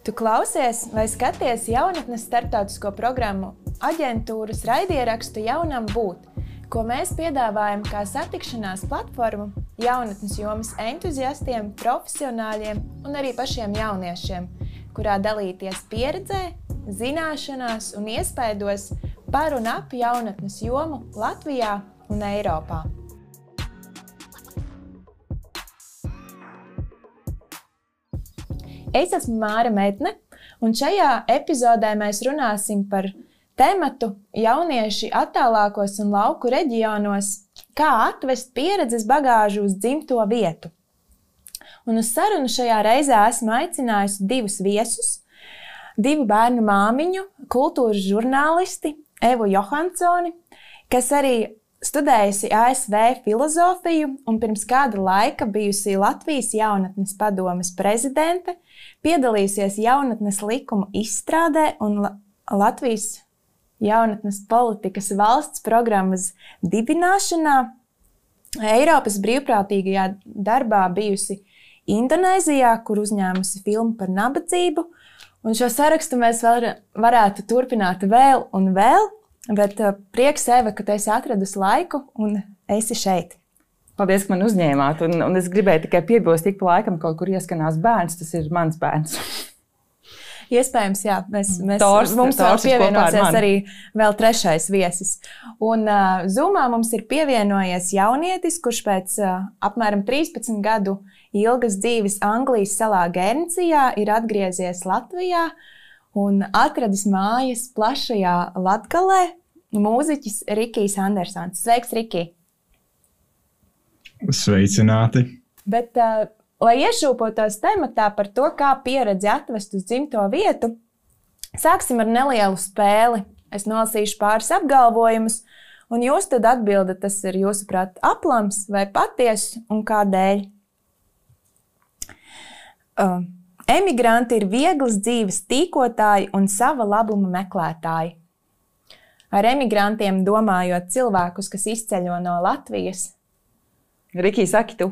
Tu klausies vai skaties jaunatnes starptautisko programmu aģentūras raidierakstu Jaunam būt, ko mēs piedāvājam kā satikšanās platformu jaunatnes jomas entuziastiem, profesionāļiem un arī pašiem jauniešiem, kurā dalīties pieredzē, zināšanās un iespaidos par un ap jaunatnes jomu Latvijā un Eiropā. Es esmu Māra Medne, un šajā epizodē mēs runāsim par tematu jaunieši attālākos un lauku reģionos, kā atvest pieredzes bagāžu uz dzimto vietu. Un uz sarunu šajā reizē esmu aicinājusi divus viesus, divu bērnu māmiņu, kultūras žurnālisti Evu Johansoni, kas arī studējusi ASV filozofiju un pirms kāda laika bijusi Latvijas jaunatnes padomes prezidente, piedalījusies jaunatnes likumu izstrādē un Latvijas jaunatnes politikas valsts programmas dibināšanā, Eiropas brīvprātīgajā darbā bijusi Indonēzijā, kur uzņēmusi filmu par nabadzību, un šo sarakstu mēs varētu turpināt vēl un vēl, bet prieks, Eva, ka tu esi atradusi laiku un esi šeit. Paldies, ka man uzņēmāt, un es gribēju tikai piebilst, tik pa laikam kaut kur ieskanās bērns, tas ir mans bērns. Iespējams, jā, mums vēl pievienosies arī vēl trešais viesis. Un Zoomā mums ir pievienojies jaunietis, kurš pēc apmēram 13 gadu ilgas dzīves Anglijas salā Guernseyā ir atgriezies Latvijā un atradis mājas plašajā Latgalē mūziķis Rikijs Andersons. Sveiks, Riki! Sveicināti! Bet, lai iešūpotos tematā par to, kā pieredzi atvest uz dzimto vietu, sāksim ar nelielu spēli. Es nolasīšu pāris apgalvojumus, un jūs tad atbildat, tas ir jūsuprāt aplams vai patiess un kādēļ. Emigranti ir vieglas dzīves tīkotāji un sava labuma meklētāji. Ar emigrantiem domājot cilvēkus, kas izceļo no Latvijas. Riki, saki tu.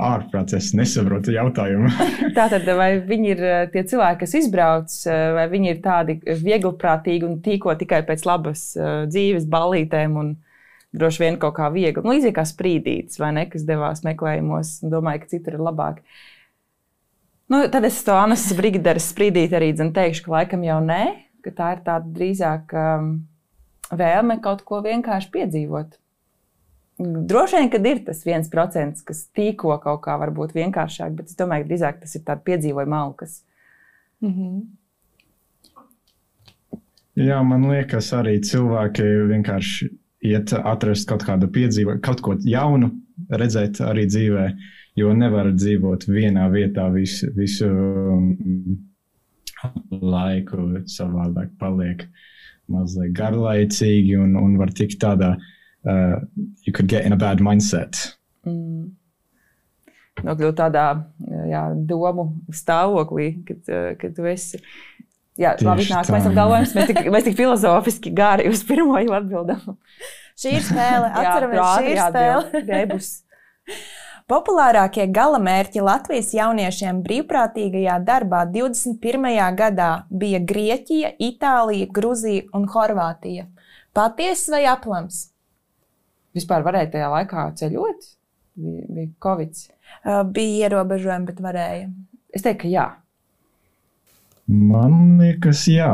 Ārprāts, es nesaprotu jautājumu. Tātad, vai viņi ir tie cilvēki, kas izbrauc, vai viņi ir tādi vieglprātīgi un tīko tikai pēc labas dzīves ballītēm un droši vien kaut kā viegli. Līdzīgi kā sprīdītis, vai ne, kas devās meklējumos un domāja, ka citur ir labāk. Tad es to Annas Brigideres sprīdīti arī teikšu, ka laikam jau nē, ka tā ir tāda drīzāk vēlme kaut ko vienkārši piedzīvot. Droši vien, kad ir tas 1%, kas tīko kaut kā varbūt vienkāršāk, bet es domāju, ka drīzāk tas ir tāda piedzīvojuma malkas. Jā, man liekas, arī cilvēki vienkārši iet atrast kaut kādu piedzīvojumu, kaut ko jaunu redzēt arī dzīvē, jo nevar dzīvot vienā vietā visu laiku, savādāk paliek mazliet garlaicīgi un var tikt tādā you could get in a bad mindset. Nokļūt tādā domu stāvoklī, kad tu esi... Jā, labi, nākamais apgalvojums. Mēs tik filozofiski gāri uz pirmo jau atbildam. Šī ir spēle. Atceramies, šī ir spēle. Populārākie galamērķi Latvijas jauniešiem brīvprātīgajā darbā 21. gadā bija Grieķija, Itālija, Gruzija un Horvātija. Patiess vai aplams? Vispār varēja tajā laikā ceļot? Bija Covid? Bija ierobežojumi, bet varēja. Es teiktu, ka jā. Man liekas, jā.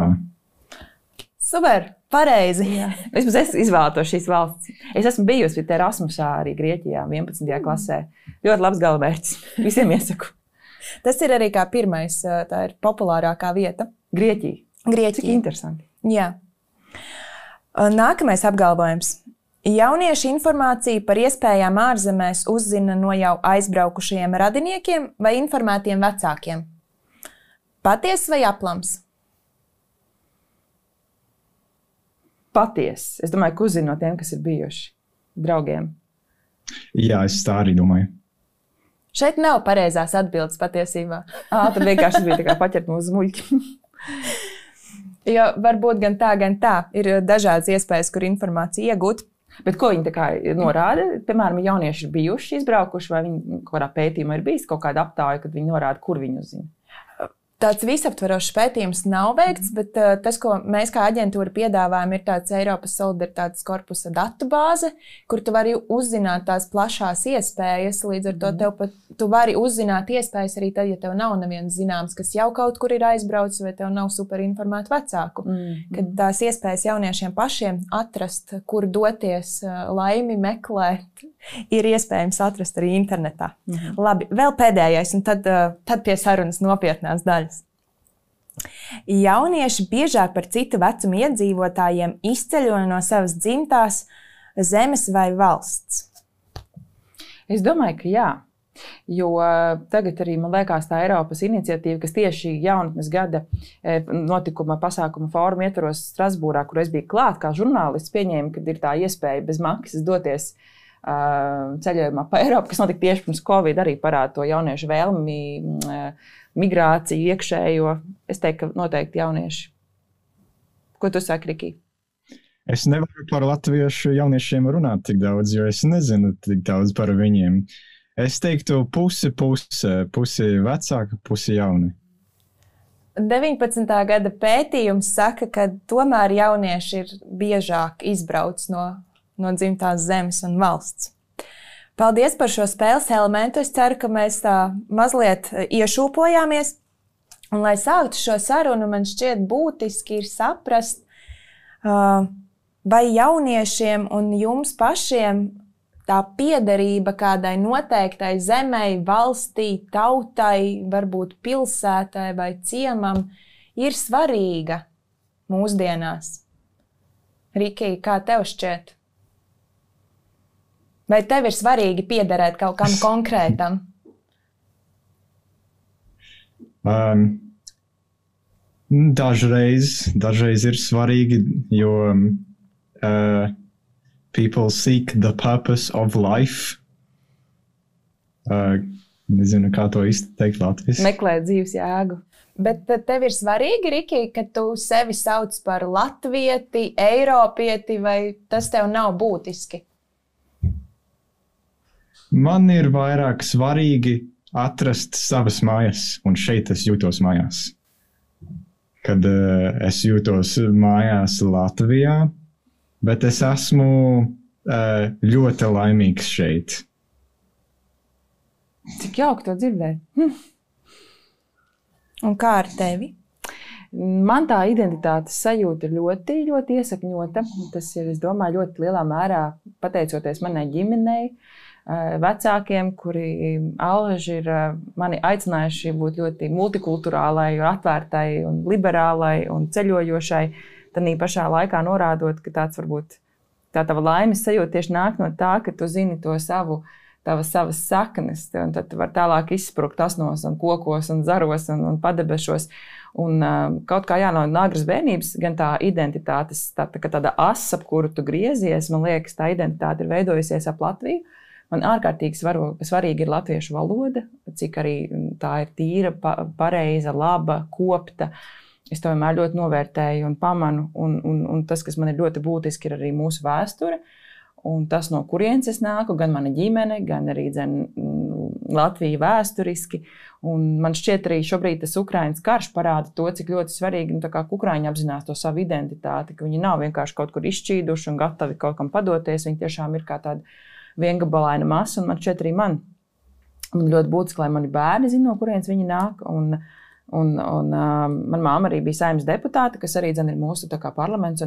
Super, pareizi. Vismaz es izvēlētos šīs valsts. Es esmu bijusi Erasmusā arī Grieķijā 11. klasē. Ļoti labs galamērķis. Visiem iesaku. Tas ir arī kā pirmais, tā ir populārākā vieta. Grieķija. Cik interesanti. Jā. Nākamais apgalvojums. Jaunieši informāciju par iespējām ārzemēs uzzina no jau aizbraukušajiem radiniekiem vai informētiem vecākiem. Patiess vai aplams? Patiess. Es domāju, ka uzzina no tiem, kas ir bijuši draugiem. Jā, es tā arī domāju. Šeit nav pareizās atbildes patiesībā. Tad vienkārši bija tā kā paķert mūsu muļķi. Jo varbūt gan tā. Ir dažādas iespējas, kur informāciju iegūt. Bet ko viņi tā kā norāda? Piemēram, jaunieši ir bijuši izbraukuši, vai viņi kādā pētījumā ir bijis kaut kāda aptāja, kad viņi norāda, kur viņi uzzina? Tāds visaptverošs pētījums nav veikts, bet tas, ko mēs kā aģentūra piedāvājam, ir tāds Eiropas solidaritātes korpusa datubāze, kur tu vari uzzināt tās plašās iespējas. Līdz ar to tu vari uzzināt iespējas arī tad, ja tev nav neviens zināms, kas jau kaut kur ir aizbraucis, vai tev nav superinformētu vecāku. Kad tās iespējas jauniešiem pašiem atrast, kur doties, laimi meklēt, ir iespējams atrast arī internetā. Labi, vēl pēdējais, un tad pie sarunas nopietnās daļas. Jaunieši biežāk par citu vecumu iedzīvotājiem izceļo no savas dzimtās zemes vai valsts. Es domāju, ka jā. Jo tagad arī, man liekas, tā Eiropas iniciatīva, kas tieši jaunatnes gada notikuma pasākuma fóruma ietvaros Strasbūrā, kur es biju klāt kā žurnālists, pieņēma, kad ir tā iespēja bez maksas doties ceļojumā pa Eiropu, kas notika tieši pirms Covid, arī parāda to jauniešu vēlmi, migrāciju, iekšējo. Es teiktu, ka noteikti jaunieši. Ko tu saki, Riki? Es nevaru par latviešu jauniešiem runāt tik daudz, jo es nezinu tik daudz par viņiem. Es teiktu pusi vecāka, pusi jauni. 19. gada pētījums saka, ka tomēr jaunieši ir biežāk izbrauc no dzimtās zemes un valsts. Paldies par šo spēles elementu. Es ceru, ka mēs tā mazliet iešūpojāmies. Un, lai sāktu šo sarunu, man šķiet būtiski ir saprast, vai jauniešiem un jums pašiem tā piederība kādai noteiktai zemei, valstī, tautai, varbūt pilsētai vai ciemam ir svarīga mūsdienās. Riki, kā tev šķiet? Vai tev ir svarīgi piederēt kaut kam konkrētam? Dažreiz ir svarīgi, jo people seek the purpose of life. Nezinu, kā to izteikt latviski. Meklē dzīves jēgu. Bet tev ir svarīgi, Riki, ka tu sevi sauc par latvieti, eiropieti, vai tas tev nav būtiski? Man ir vairāk svarīgi atrast savas mājas, un šeit es jūtos mājās. Kad es jūtos mājās Latvijā, bet es esmu ļoti laimīgs šeit. Cik jauki to dzirdēt. Un kā ar tevi? Man tā identitātes sajūta ir ļoti, ļoti iesakņota. Tas ir, es domāju, ļoti lielā mērā pateicoties manai ģimenei, vecākiem, kuri allaži ir mani aicinājuši būt ļoti multikulturālai, atvērtai un liberālai un ceļojošai. Tanī pašā laikā norādot, ka tāds varbūt tā tava laimes sajūta tieši nāk no tā, ka tu zini to tavas saknes, un tad tu var tālāk izsprukt asnos un kokos un zaros un padebešos. Un kaut kā no agras bērnības, gan tā identitātes, tāda asa, ap kuru tu griezies, man liekas, tā identitāte ir veidojusies ap Latviju. Man ārkārtīgi svarīgi ir latviešu valoda, cik arī tā ir tīra, pareiza, laba, kopta. Es to vienmēr ļoti novērtēju un pamanu, un tas, kas man ir ļoti būtiski, ir arī mūsu vēsture. Un tas, no kurienes es nāku, gan mana ģimene, gan arī Latvija vēsturiski. Un man šķiet arī šobrīd tas Ukrainas karš parāda to, cik ļoti svarīgi, tā kā Ukraiņi apzinās to savu identitāti, ka viņi nav vienkārši kaut kur izšķīduši un gatavi kaut kam padoties. Viņi tiešām ir kā tāda viengabalaina masa, un man šķiet arī man ļoti būtiski, lai mani bērni zina, no kurienes viņi nāk. Un mana māma arī bija Saeimas deputāte, kas arī ir mūsu parlaments.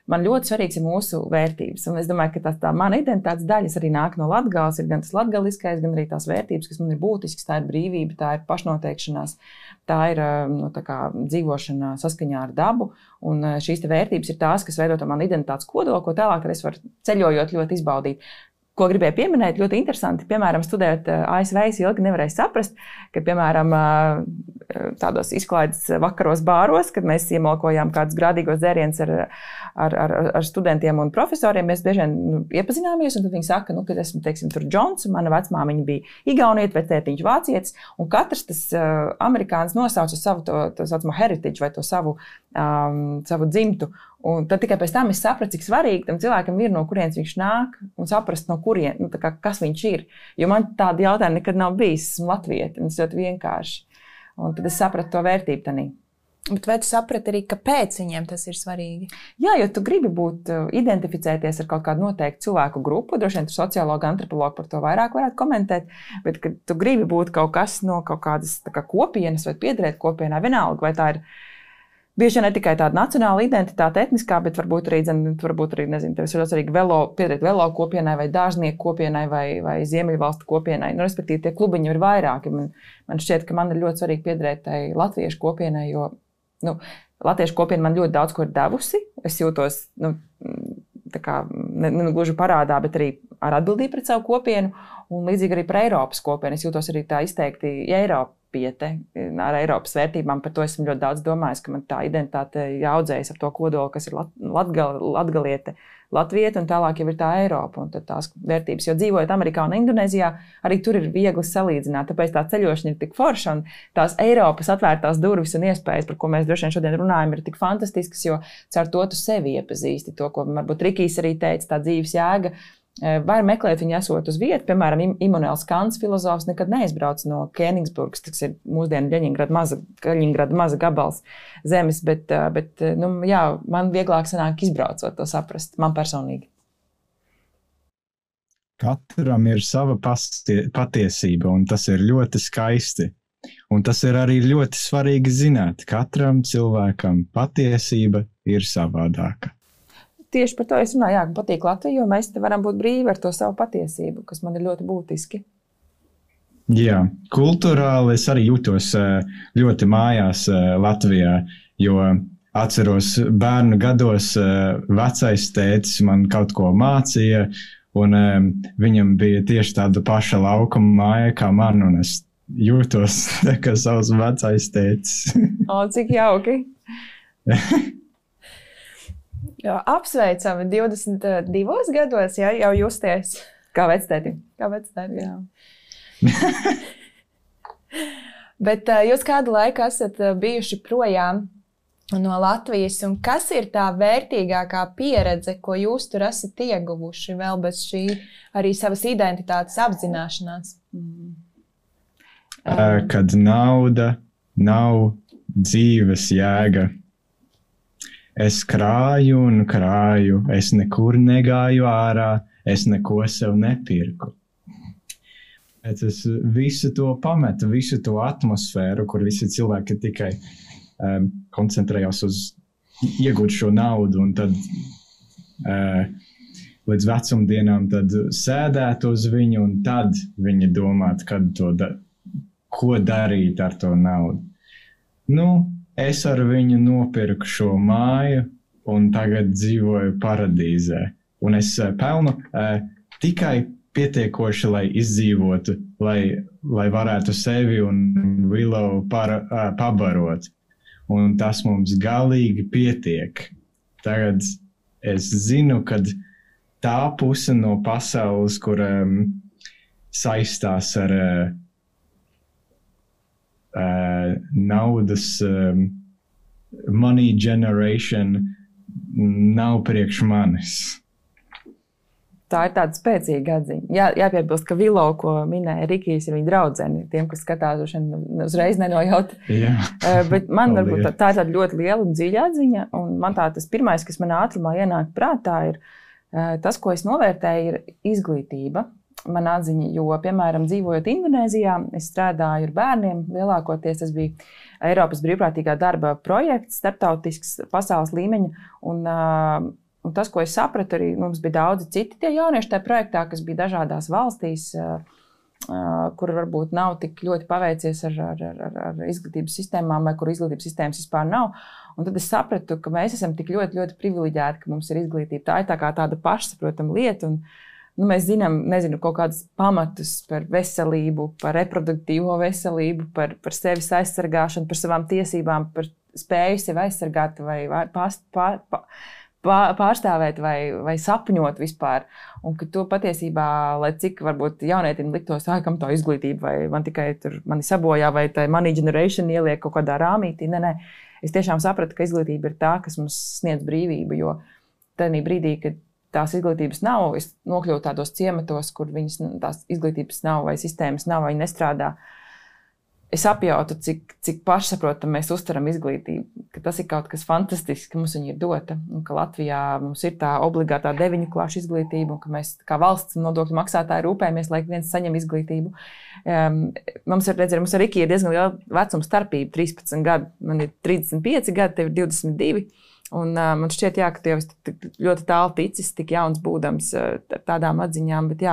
Man ļoti svarīgs ir mūsu vērtības. Un es domāju, ka tā mana identitātes daļas arī nāk no Latgales. Ir gan tas latgaliskais, gan arī tās vērtības, kas man ir būtiskas. Tā ir brīvība, tā ir pašnoteikšanās, tā ir dzīvošana saskaņā ar dabu. Un šīs vērtības ir tās, kas veido to manu identitātes kodolu, ko tālāk es varu ceļojot ļoti izbaudīt. Ko gribēju pieminēt, ļoti interesanti. Piemēram, studējot ASV, es ilgi nevarēju saprast, ka, piemēram, tādos izklaides vakaros bāros, kad mēs iemalkojām kādus grādīgos dzērienus ar studentiem un profesoriem. Mēs bieži vien iepazināmies, un tad viņi saka, ka esmu, teiksim, tur Džons, un mana vecmāmiņa bija igaunieta, vectētiņš vācietis, un katrs tas amerikānis nosauca savu to saucamo heritage vai to savu dzimtu. Un tad tikai pēc tam es sapratu, cik svarīgi tam cilvēkam ir, no kurienes viņš nāk, un saprast, no kurien, kas viņš ir. Jo man tādi jautājumi nekad nav bijis, esmu latvieti, un tas ļoti vienkārši. Un tad es sapratu to vērtību tanī. Bet vai tu saprati arī, kāpēc viņiem tas ir svarīgi? Jā, jo tu gribi identificēties ar kaut kādu noteiktu cilvēku grupu, droši vien tu sociologi, antropologi par to vairāk varētu komentēt, bet kad tu gribi būt kaut kas no kaut kādas kopienas vai piederēt kopienā, vienalga, vai tā ir bieži ne tikai tāda nacionāla identitāte, etniskā, bet varbūt arī, nezinu, tev ir svarīgi piederēt velo kopienai vai dārznieku kopienai vai ziemeļvalstu kopienai. Respektīvi, tie klubiņi ir vairāki. Man šķiet, ka man ir ļoti svarīgi piederēt tai latviešu kopienai, jo latviešu kopiena man ļoti daudz ko ir devusi. Es jūtos, gluži parādā, bet arī ar atbildību pret savu kopienu un līdzīgi arī par Eiropas kopienu. Es jūtos arī tā izteikti Eiropiete ar Eiropas vērtībām. Par to esmu ļoti daudz domājis, ka man tā identitāte jāaudzējas ar to kodolu, kas ir latgaliete, latvieta, un tālāk jau ir tā Eiropa un tad tās vērtības. Jo dzīvojot Amerikā un Indonēzijā, arī tur ir viegli salīdzināt. Tāpēc tā ceļošana ir tik forša un tās Eiropas atvērtās durvis un iespējas, par ko mēs droši vien šodien runājam, ir tik fantastiskas, jo caur to tu sevi iepazīsti. To, ko varbūt Rikijs arī teica, tā dzīves jēga. Var meklēt viņu esot uz vietu. Piemēram, Immanuels Kants, filozofs, nekad neizbrauc no Kēnigsburgas, tas ir mūsdienu Ļeņingrada maza gabals zemes, bet jā, man vieglāk sanāk izbraucot to saprast, man personīgi. Katram ir sava patiesība, un tas ir ļoti skaisti. Un tas ir arī ļoti svarīgi zināt. Katram cilvēkam patiesība ir savādāka. Tieši par to es runāju, ka patīk Latvija, jo mēs te varam būt brīvi ar to savu patiesību, kas man ir ļoti būtiski. Jā, kulturāli es arī jūtos ļoti mājās Latvijā, jo atceros bērnu gados vecais tētis man kaut ko mācīja, un viņam bija tieši tāda paša laukuma māja kā man, un es jūtos kā savs vecais tētis. O, cik jauki! Jā, apsveicami 22 gados, jā, jau justies. Kā vectēti. Jā. Bet jūs kādu laiku esat bijuši projām no Latvijas, un kas ir tā vērtīgākā pieredze, ko jūs tur esat ieguvuši vēl bez šī arī savas identitātes apzināšanās? Kad nauda nav dzīves jēga. Es krāju un krāju, es nekur negāju ārā, es neko sev nepirku. Bet es visu to pametu, visu to atmosfēru, kur visi cilvēki tikai koncentrējās uz iegūt šo naudu, un tad līdz vecumdienām tad sēdēt uz viņu, un tad viņi domāt, ko darīt ar to naudu. Es ar viņu nopirku šo māju un tagad dzīvoju paradīzē. Un es pelnu tikai pietiekoši, lai izdzīvotu, lai varētu sevi un Willow pabarot. Un tas mums galīgi pietiek. Tagad es zinu, ka tā puse no pasaules, kur saistās ar naudas money generation nav priekš manis. Tā ir tāda spēcīga atziņa. Jāpiebilst, ka Willow, ko minēja Rikijs, ir viņa draudzene. Tiem, kas skatās, uzreiz nenojauta. Bet man varbūt tā ir tāda ļoti liela un dziļa atziņa. Un man tas pirmais, kas man ātrumā ienāk prātā, ir tas, ko es novērtēju, ir izglītība. Man atziņa, jo, piemēram, dzīvojot Indonēzijā, es strādāju ar bērniem. Lielākoties tas bija Eiropas brīvprātīgā darba projekts, starptautisks pasaules līmeņa. Un tas, ko es sapratu, arī mums bija daudzi citi tie jaunieši tajā projektā, kas bija dažādās valstīs, kur varbūt nav tik ļoti paveicies ar izglītības sistēmām, vai kur izglītības sistēmas vispār nav. Un tad es sapratu, ka mēs esam tik ļoti, ļoti privileģēti, ka mums ir izglītība. Tā ir tā kā tāda pašsaprotama lieta. Un mēs zinām, kaut kādus pamatus par veselību, par reproduktīvo veselību, par sevis aizsargāšanu, par savām tiesībām, par spēju sevi aizsargāt vai pārstāvēt vai sapņot vispār. Un ka to patiesībā, lai cik varbūt jaunietim liktos, kam tā izglītība, vai man tikai mani sabojā, vai tā money generation ieliek kaut kādā rāmītī. Nē. Es tiešām sapratu, ka izglītība ir tā, kas mums sniedz brīvību, jo tajā brīdī, kad tās izglītības nav, es nokļuvu tādos ciematos, kur tās izglītības nav vai sistēmas nav, vai nestrādā. Es apjautu, cik pašsaprotam mēs uztveram izglītību, ka tas ir kaut kas fantastisks, ka mums viņa ir dota, un ka Latvijā mums ir tā obligātā 9 klašu izglītība, un ka mēs kā valsts nodokļu maksātāji rūpējamies, lai viens saņem izglītību. Mums ar Riki ir diezgan liela vecuma starpība, 13 gadi, man ir 35 gadi, tev ir 22. Un man šķiet, ka tu jau esi ļoti tālu ticis, tik jauns būdams tādām atziņām, bet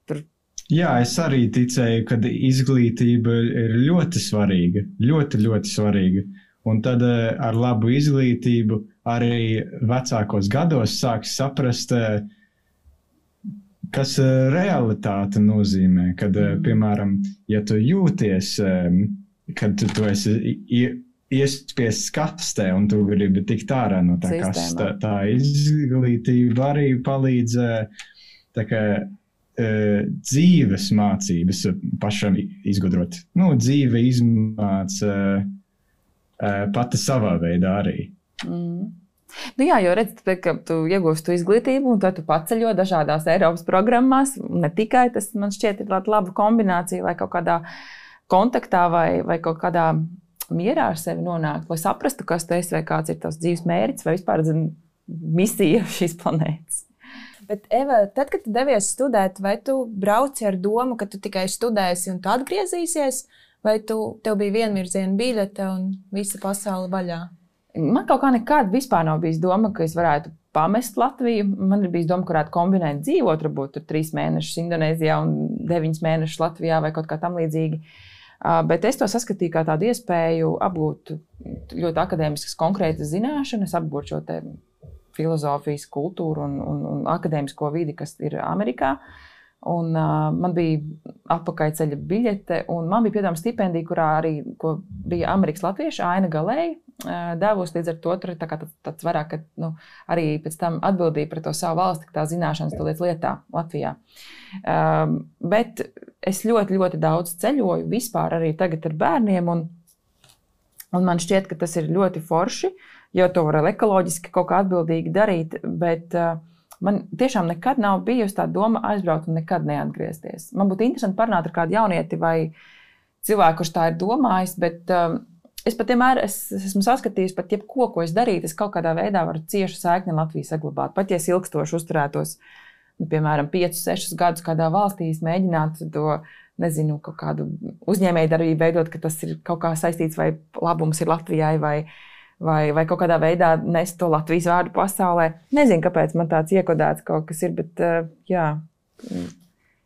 tur. Jā, es arī ticēju, ka izglītība ir ļoti svarīga, ļoti, ļoti svarīga. Un tad ar labu izglītību arī vecākos gados sāks saprast, kas realitāte nozīmē. Kad, piemēram, ja tu jūties, kad tu esi iespiests kastē un tu gribi tikt ārā no tā kastē, tā izglītība arī palīdz tā kā dzīves mācības pašam izgudrot. Dzīve izmāca pati savā veidā arī. Jo redz, ka tu iegūsti izglītību un tad tu paceļo dažādās Eiropas programmās. Ne tikai tas, man šķiet, ir laba kombinācija, lai kaut kādā kontaktā vai kaut kādā mierā ar sevi nonākt, lai saprastu, kas tu esi vai kāds ir tavs dzīves mērķis vai vispār misija šīs planētas. Bet, Eva, tad, kad tu devies studēt, vai tu brauci ar domu, ka tu tikai studēsi un tu atgriezīsies, vai tev bija vienvirziena biļete un visa pasaule vaļā? Man kaut kā nekad vispār nav bijis doma, ka es varētu pamest Latviju. Man ir bijis doma, ka varētu kombinēt dzīvot, varbūt 3 mēnešus Indonēzijā un 9 mēnešus Latvijā vai kaut kā tam līdzīgi. Bet es to saskatīju kā tādu iespēju apgūt ļoti akadēmiskas konkrētas zināšanas, apgūt šo te filozofijas, kultūru un akadēmisko vidi, kas ir Amerikā. Un, man bija atpakaļceļa biļete, un man bija piedāvājuma stipendija, kurā arī bija Amerikas latvieša Aina Galēja devusi. Līdz ar to tur ir tāds vairāk, ka arī pēc tam atbildīja par to savu valsti, ka tā zināšanas to lietā Latvijā. Bet es ļoti, ļoti daudz ceļoju vispār arī tagad ar bērniem, un man šķiet, ka tas ir ļoti forši, jo to var ekoloģiski kaut kā atbildīgi darīt, bet man tiešām nekad nav bijusi tā doma aizbraukt un nekad neatgriezties. Man būtu interesanti parunāt ar kādu jaunieti vai cilvēku, kurš tā ir domājis, bet es pat vienmēr esmu saskatījis pat jebko, ko es darītu, es kaut kādā veidā varu ciešu saikni Latviju saglabāt. Pat ja es ilgstoši uzturētos, piemēram, 5-6 gadus kādā valstī, mēģināt to, kaut kādu uzņēmējdarbību veidot, ka tas ir kaut kā saistīts vai labums ir Latvijai vai kaut kādā veidā nest to Latvijas vārdu pasaulē. Nezinu, kāpēc man tāds iekodēts kaut kas ir, bet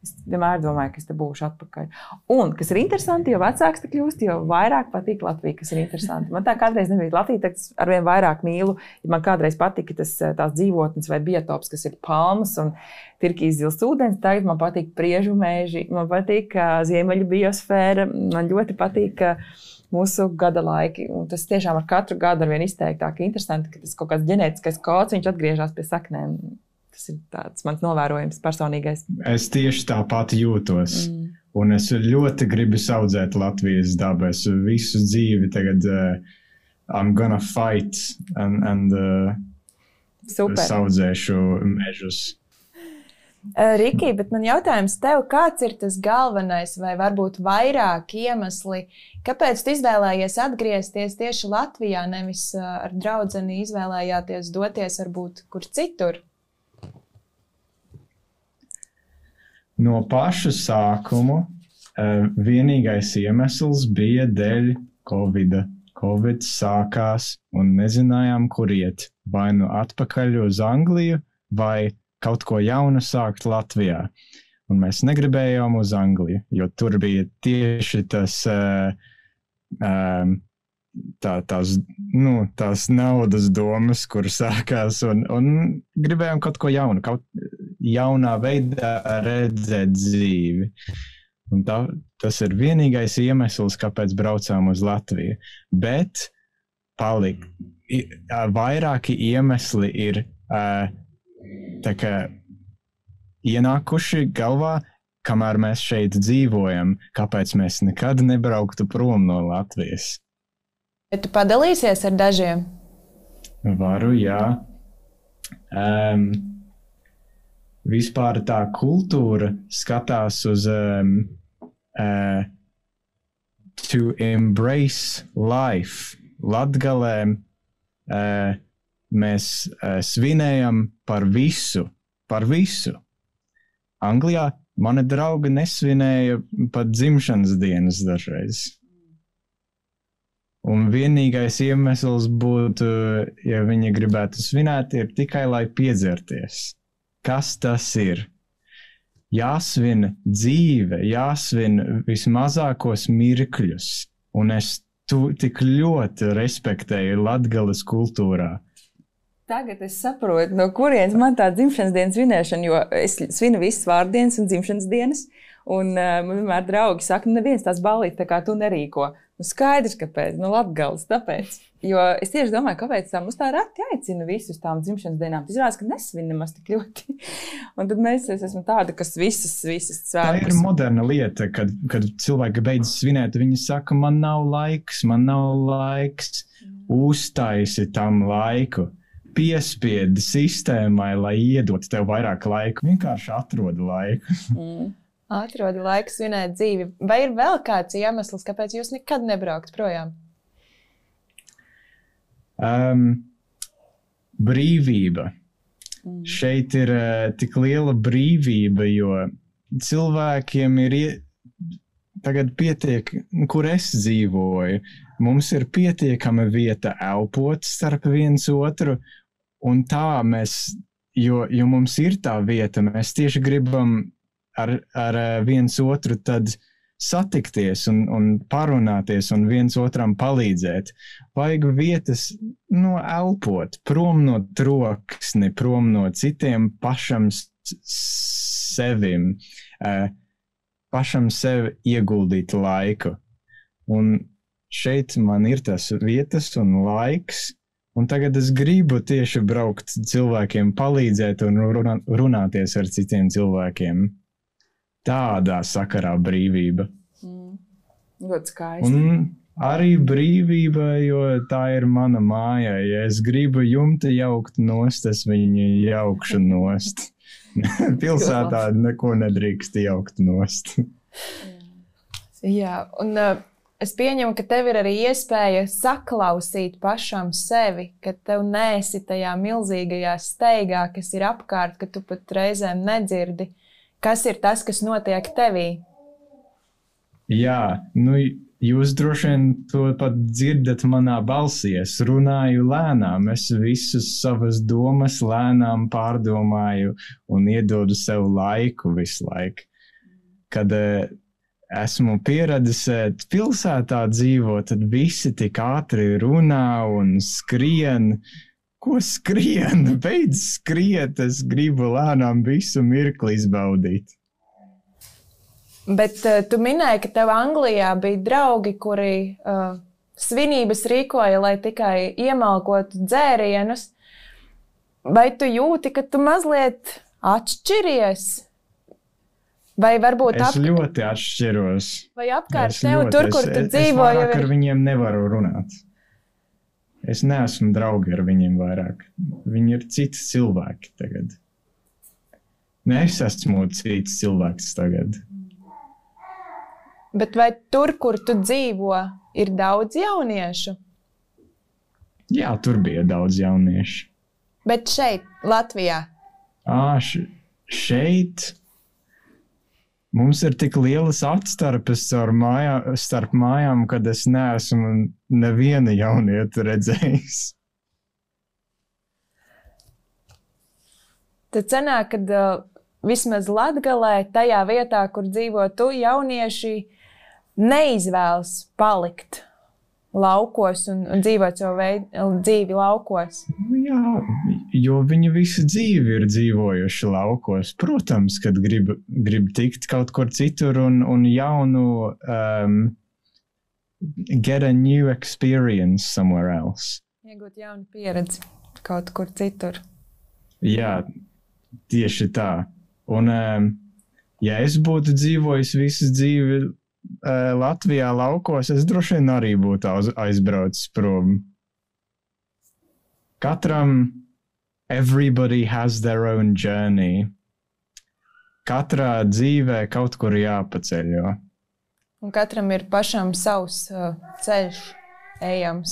es vienmēr domāju, ka es te būšu atpakaļ. Un, kas ir interesanti, jo vecāks tu kļūst, jo vairāk patīk Latvija, kas ir interesanti. Man tā kādreiz nebija Latvija, tad arvien vairāk mīlu. Ja man kādreiz patika tās dzīvotnes vai biotops, kas ir palmas un tirkīs zils ūdens, tagad man patīk priežu mēži, man patīk ziemeļu biosfēra, man ļoti patīk mūsu gada laiki. Un tas tiešām ar katru gadu arvien izteiktāk interesanti, ka tas kaut kāds ģenētiskais kods, viņš atgriežas pie saknēm. Tas ir tāds mans novērojums personīgais. Es tieši tāpat jūtos. Un es ļoti gribu audzēt Latvijas dabu. Es visu dzīvi tagad I'm gonna fight and audzēšu mežus. Riki, bet man jautājums tev, kāds ir tas galvenais vai varbūt vairāk iemesli, kāpēc tu izvēlējies atgriezties tieši Latvijā, nevis ar draudzeni izvēlējāties doties varbūt kur citur? No paša sākuma vienīgais iemesls bija dēļ Covida. Covid sākās un nezinājām, kur iet. Vai nu atpakaļ uz Angliju, vai kaut ko jaunu sākt Latvijā. Un mēs negribējām uz Angliju, jo tur bija tieši tās naudas domas, kur sākās, un gribējām kaut ko jaunu, jaunā veidā redzēt dzīvi. Un tas ir vienīgais iemesls, kāpēc braucām uz Latviju. Bet vairāki iemesli ir tā kā ienākuši galvā, kamēr mēs šeit dzīvojam, kāpēc mēs nekad nebrauktu prom no Latvijas. Bet tu padalīsies ar dažiem? Varu, jā. Vispār tā kultūra skatās uz to embrace life. Latgalē mēs svinējam par visu. Anglijā mani draugi nesvinēja pat dzimšanas dienas dažreiz. Un vienīgais iemesls būtu, ja viņi gribētu svinēt, ir tikai lai piedzerties. Kas tas ir? Jāsvin dzīve, jāsvin vismazākos mirkļus. Un es tik ļoti respektēju Latgales kultūrā. Tagad es saprotu, no kurienes man tā dzimšanas dienas svinēšana, jo es svinu visas vārdienas un dzimšanas dienas. Un man vienmēr draugi saka, neviens tās ballītes tā kā tu nerīko. Skaidrs, kāpēc, Latgales, tāpēc. Jo es tieši domāju, kāpēc tā mums tā reti aicina visus tām dzimšanas dienām. Tas izrādās, ka nesvin nemaz tik ļoti. Un tad es esmu tāda, kas visas svētkus. Tā ir moderna lieta, kad cilvēki beidz svinēt, viņi saka, man nav laiks. Uztaisi tam laiku. Piespiedi sistēmai, lai iedot tev vairāk laika. Vienkārši atrodi laiku. Atrodi laiku svinēt dzīvi. Vai ir vēl kāds iemesls, kāpēc jūs nekad nebraukt projām? Brīvība. Šeit ir tik liela brīvība, jo cilvēkiem ir tagad pietiek, kur es dzīvoju. Mums ir pietiekama vieta elpot starp viens otru, un tā mēs, jo mums ir tā vieta, mēs tieši gribam ar viens otru tad satikties un parunāties un viens otram palīdzēt. Vajag vietas elpot, prom no troksni, prom no citiem pašam sevim, pašam sev ieguldīt laiku. Un šeit man ir tas vietas un laiks, un tagad es gribu tieši braukt cilvēkiem, palīdzēt un runāties ar citiem cilvēkiem. Tādā sakarā brīvība. Ļoti skaisti. Un arī brīvība, jo tā ir mana māja. Ja es gribu jumta jaukt nost, es viņu jaukšu nost. Pilsētā neko nedrīkst jaukt nost. Jā, un es pieņemu, ka tev ir arī iespēja saklausīt pašam sevi, ka tev neesi tajā milzīgajā steigā, kas ir apkārt, ka tu pat reizēm nedzirdi. Kas ir tas, kas notiek tevī? Jā, jūs droši vien to pat dzirdat manā balsī. Es runāju lēnām, es visus savas domas lēnām pārdomāju un iedodu sev laiku visu laiku. Kad esmu pieredzējis pilsētā dzīvot, tad visi tik ātri runā un skrien. Ko skrien? Beidz skriet, es gribu lēnām visu mirkli izbaudīt. Bet tu minēji, ka tev Anglijā bija draugi, kuri svinības rīkoja, lai tikai iemalkotu dzērienus. Vai tu jūti, ka tu mazliet atšķiries? Vai varbūt Es ļoti atšķiros. Vai apkārt tev tur, kur tu dzīvo, jau ir... ar viņiem nevaru runāt. Es neesmu draugi ar viņiem vairāk. Viņi ir citi cilvēki tagad. Es esmu cits cilvēks tagad. Bet vai tur, kur tu dzīvo, ir daudz jauniešu? Jā, tur bija daudz jauniešu. Bet šeit, Latvijā? Šeit mums ir tik lielas atstarpes starp mājām, kad es neesmu neviena jaunieta redzējis. Tad sanāk, kad vismaz Latgalē, tajā vietā, kur dzīvo tu, jaunieši neizvēlas palikt laukos un dzīvot savu dzīvi laukos? Jā, jo viņi visu dzīvi ir dzīvojuši laukos. Protams, kad grib tikt kaut kur citur un jaunu, get a new experience somewhere else. Iegūt jaunu pieredzi kaut kur citur. Jā, tieši tā. Un, ja es būtu dzīvojis visu dzīvi Latvijā laukos, es droši vien arī būtu aizbraucis prom. Katram, everybody has their own journey. Katrā dzīvē kaut kur jāpaceļo. Un katram ir pašam savs ceļš ejams.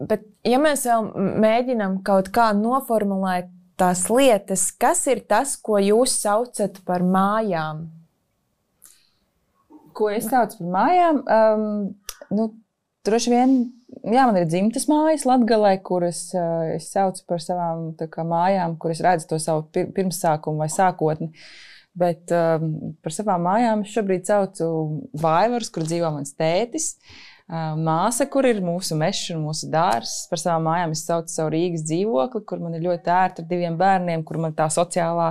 Bet, ja mēs vēl mēģinām kaut kā noformulēt tās lietas, kas ir tas, ko jūs saucat par mājām? Ko es saucu par mājām? Droši vien, man ir dzimtas mājas Latgalē, kuras es saucu par savām mājām, kuras redzu to savu pirmsākumu vai sākotni. Bet par savām mājām es šobrīd saucu Vaivars, kur dzīvo mans tētis, māsa, kur ir mūsu mešs un mūsu dārzs. Par savām mājām es saucu savu Rīgas dzīvokli, kur man ir ļoti ērti ar 2 bērniem, kur man tā sociālā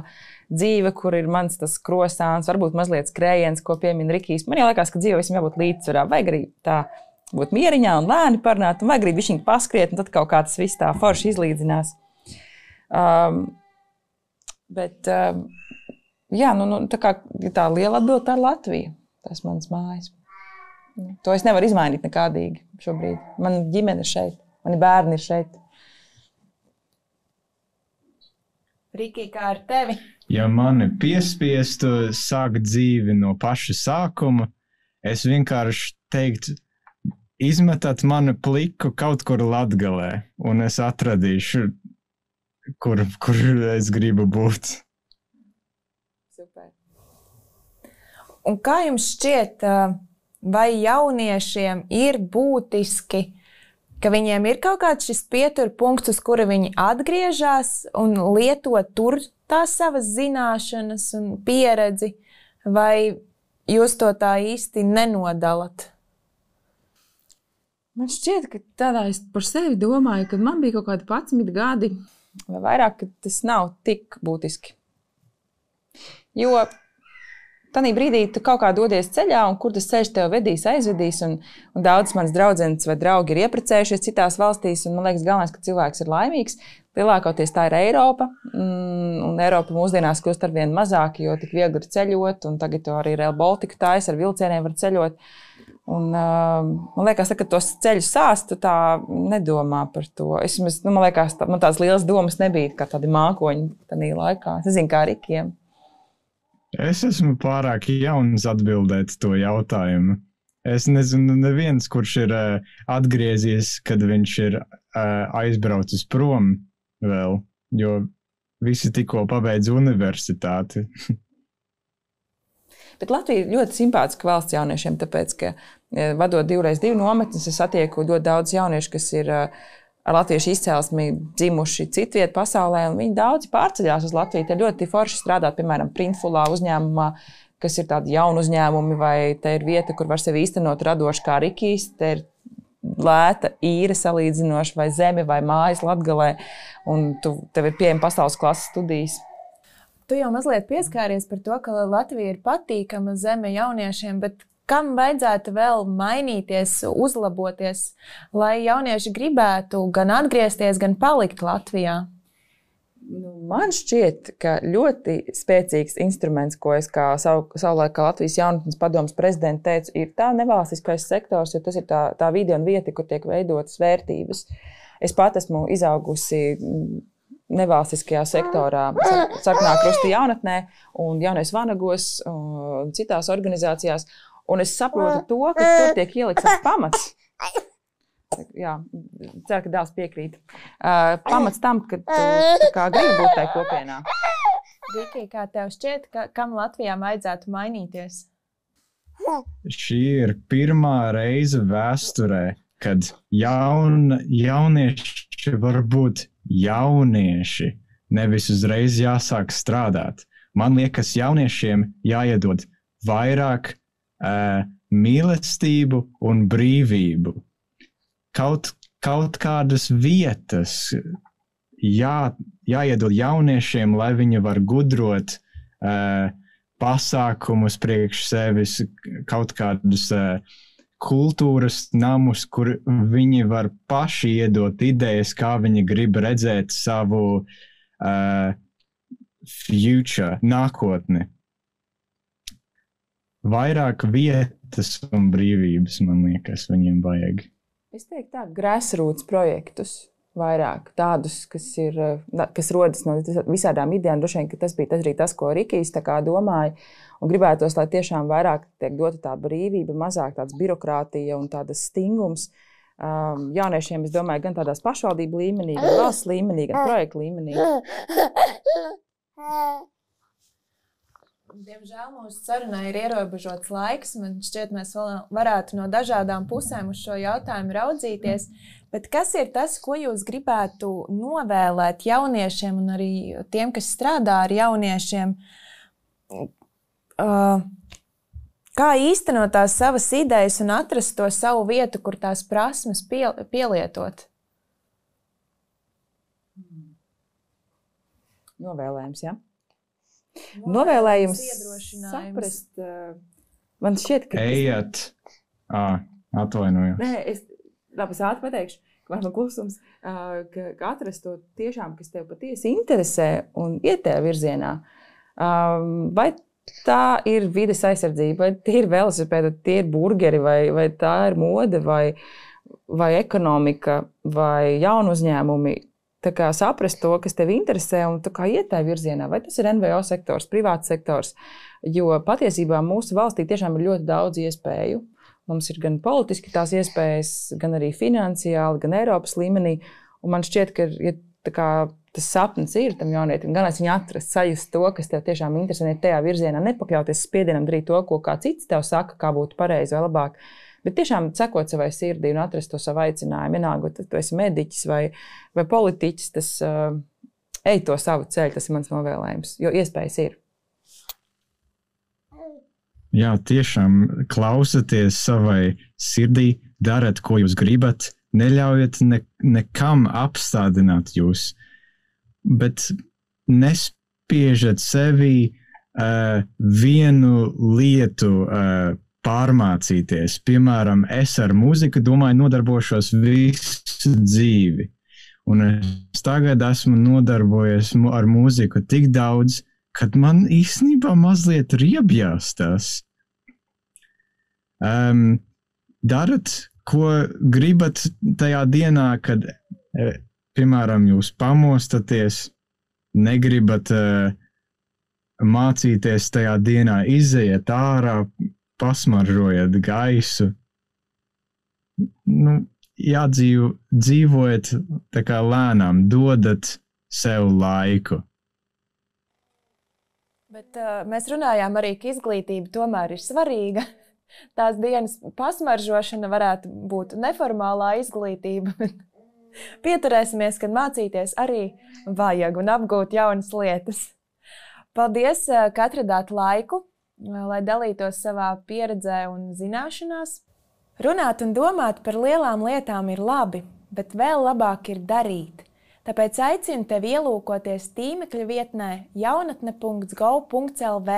dzīve, kur ir mans tas krosāns, varbūt mazliet skrējiens, ko piemin Rikijs. Man liekas, ka dzīve visam jābūt līdzsvarā, vajag arī tā būt mieriņā un lēni parunāt, un vajag arī bišķiņ paskriet, un tad kaut kā tas viss tā forši izlīdzinās. Tā liela atbilde, tā ir Latvija. Tas mans mājas. To es nevaru izmainīt nekādīgi šobrīd. Man ģimene ir šeit, mani bērni ir šeit. Riki, kā ar tevi? Ja mani piespiestu sākt dzīvi no paša sākuma, es vienkārši teiktu, izmetat mani pliku kaut kur Latgalē, un es atradīšu, kur es gribu būt. Super. Un kā jums šķiet, vai jauniešiem ir būtiski, ka viņiem ir kaut kāds šis pieturpunkts, uz kura viņi atgriežas un lieto tur tās savas zināšanas un pieredzi, vai jūs to tā īsti nenodalat? Man šķiet, ka tādā es par sevi domāju, kad man bija kaut kādi 11 gadi vai vairāk, ka tas nav tik būtiski. Jo tādā brīdī tu kaut kā dodies ceļā, un kur tas ceļš tev vedīs, aizvedīs, un daudzas manas draudzenes vai draugi ir iepracējušies citās valstīs, un man liekas galvenais, ka cilvēks ir laimīgs. Lielākoties tā ir Eiropa, un Eiropa mūsdienās kļūst arvien mazāk, jo tik viegli ir ceļot, un tagad to arī Rail Baltica taisa, ar vilcieniem var ceļot. Un, man liekas, ka tos ceļus sāstu tā nedomā par to. Man liekas, man tādas lielas domas nebija, kā tādi mākoņi tādā laikā. Es nezinu, kā Rikiem. Es esmu pārāk jauns atbildēt to jautājumu. Es nezinu, neviens, kurš ir atgriezies, kad viņš ir aizbraucis prom vēl, jo visi tikko pabeidz universitāti. Bet Latvija ir ļoti simpātiska valsts jauniešiem, tāpēc, ka vadot 2x2 nometnes, es satieku ļoti daudz jauniešu, kas ir ar latviešu izcelsmi dzimuši citviet pasaulē, un viņi daudzi pārceļās uz Latviju. Te ļoti forši strādāt, piemēram, Printfulā uzņēmumā, kas ir tādi jauni uzņēmumi, vai te ir vieta, kur var sevi īstenot radoši kā Rikijs, te ir lēta īre salīdzinoši, vai zemi, vai mājas Latgalē, un tev ir pieejama pasaules klases studijas. Tu jau mazliet pieskāries par to, ka Latvija ir patīkama zeme jauniešiem, bet kam vajadzētu vēl mainīties, uzlaboties, lai jaunieši gribētu gan atgriezties, gan palikt Latvijā? Man šķiet, ka ļoti spēcīgs instruments, ko es kā savulaik kā Latvijas jaunatnes padomes prezidenta teicu, ir tā nevalstiskais sektors, jo tas ir tā vide un vieta, kur tiek veidotas vērtības. Es pat esmu izaugusi nevalstiskajā sektorā, Sarkanā Krusta jaunatnē un Jaunais Vanagos un citās organizācijās. Un es saprotu to, ka tur tiek ielikts pamats. Jā, ceru, ka dēls piekrīt. Pamats tam, ka tu gribi būt tajā kopienā. Riki, kā tev šķiet, kam Latvijā vajadzētu mainīties? Šī ir pirmā reize vēsturē, kad jaunieši var būt jaunieši, nevis uzreiz jāsāk strādāt. Man liekas, jauniešiem jāiedod vairāk mīlestību un brīvību. Kaut kādas vietas jāiedod jauniešiem, lai viņi var gudrot pasākumus priekš sevis, kaut kādus kultūras namus, kur viņi var paši iedot idejas, kā viņi grib redzēt savu future, nākotni. Vairāk vietas un brīvības, man liekas, viņiem vajag. Es teiktu tā, grassroots projektus vairāk, tādus, kas rodas no visādām idejām. Droši vien, ka tas bija arī tas, ko Rikijs tā kā domāja, un gribētos, lai tiešām vairāk tiek dota tā brīvība, mazāk tāds birokrātija un tādas stingums. Jauniešiem, es domāju, gan tādās pašvaldību līmenī, gan valsts līmenī, gan projektu līmenī. Diemžēl mūsu sarunai ir ierobežots laiks. Man šķiet, mēs varētu no dažādām pusēm uz šo jautājumu raudzīties. Bet kas ir tas, ko jūs gribētu novēlēt jauniešiem un arī tiem, kas strādā ar jauniešiem? Kā īstenot tās savas idejas un atrast to savu vietu, kur tās prasmes pielietot? Novēlējums, ja? Novēlējums saprast, man šķiet, ka... Ejiet, atvainojos. Nē, es ātri pateikšu, ka man klusums, ka atrast to tiešām, kas tev patiesi interesē un iet tajā virzienā. Vai tā ir vides aizsardzība, vai tie ir velosipēdi, tie ir burgeri, vai tā ir mode, vai ekonomika, vai jaunu uzņēmumi. Tā kā saprast to, kas tev interesē un tā kā iet tajā virzienā, vai tas ir NVO sektors, privāts sektors, jo patiesībā mūsu valstī tiešām ir ļoti daudz iespēju. Mums ir gan politiski tās iespējas, gan arī finansiāli, gan Eiropas līmenī, un man šķiet, ka ja tā kā tas sapnis ir tam jaunietim, gan es viņu atrast, sajust to, kas tev tiešām interesē tajā virzienā, nepakļauties spiedienam darīt to, ko kā cits tev saka, kā būtu pareizi vai labāk. Bet tiešām sekot savai sirdī un atrast to savu aicinājumu, vienalga, tu esi mediķis vai politiķis, tas ej to savu ceļu, tas ir mans novēlējums, jo iespējas ir. Jā, tiešām klausaties savai sirdī, darat, ko jūs gribat, neļaujiet nekam apstādināt jūs, bet nespiežat sevi vienu lietu pārmācīties. Piemēram, es ar mūziku, domāju, nodarbošos visu dzīvi. Un es tagad esmu nodarbojies ar mūziku tik daudz, kad man īstenībā mazliet riebjās tas. Darat, ko gribat tajā dienā, kad, piemēram, jūs pamostaties, negribat mācīties tajā dienā, izejiet ārā, pasmaržojat gaisu. Dzīvojiet tā kā lēnām, dodat sev laiku. Bet mēs runājām arī, ka izglītība tomēr ir svarīga. Tās dienas pasmaržošana varētu būt neformālā izglītība. Pieturēsimies, kad mācīties arī vajag un apgūt jaunas lietas. Paldies, ka atradāt laiku, lai dalītos savā pieredzē un zināšanās. Runāt un domāt par lielām lietām ir labi, bet vēl labāk ir darīt. Tāpēc aicinu tevi ielūkoties tīmekļa vietnē jaunatne.gov.lv,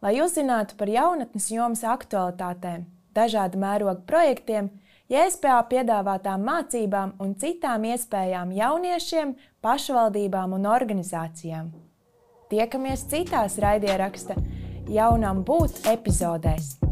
lai uzzinātu par jaunatnes jomas aktualitātēm, dažādu mērogu projektiem, JSPA piedāvātām mācībām un citām iespējām jauniešiem, pašvaldībām un organizācijām. Tiekamies citās raidieraksta Jaunam būt epizodēs.